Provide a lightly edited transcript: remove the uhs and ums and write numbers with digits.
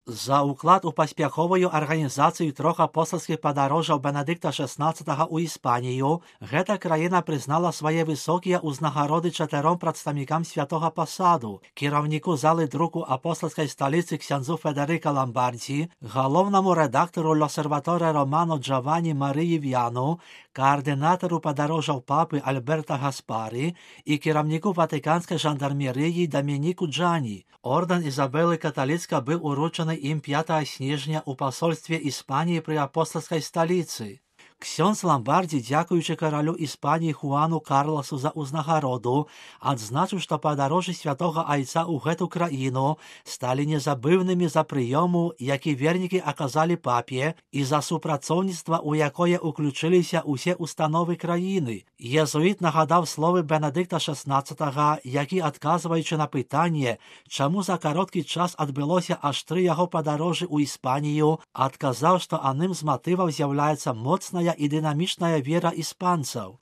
За уклад у паспяховую арганізацыю трох апостальскіх падарожжаў Бенедыкта XVI ў Іспанію, гэта краіна прызнала свае высокія ўзнагароды 4 прадстаўнікам святога пасаду: кіраўніку залы друку апостальскай сталіцы ксяндзу Федерика Ламбардзі, галоўнаму рэдактару L'Osservatore Romano Джованні Марыі Вяну, каардынатару падарожжаў папы Альберта Гаспары і кіраўніку ватыканскай жандармерыі Дамініку Джані. Ордэн Ізабелы Каталіцка быў уручаны ім 5 снежня ў пасольстве Іспаніі пры апостальскай сталіцы. Ксёндз Ламбардзі, дзякуючы каралю Іспаніі Хуану Карласу за ўзнагароду, адзначыў, што падарожжы святога айца ў гэту краіну сталі незабыўнымі за прыёму, які вернікі аказалі папе, і за супрацоўніцтва, у якое ўключыліся ўсе установы краіны. Езуіт нагадаў словы Бенедыкта XVI, які, адказваючы на пытанне, чаму за кароткі час адбылося аж 3 яго падарожжы ў Іспанію, адказаў, што адным з матываў з'яўляецца моцная і дынамічная вера іспанцаў.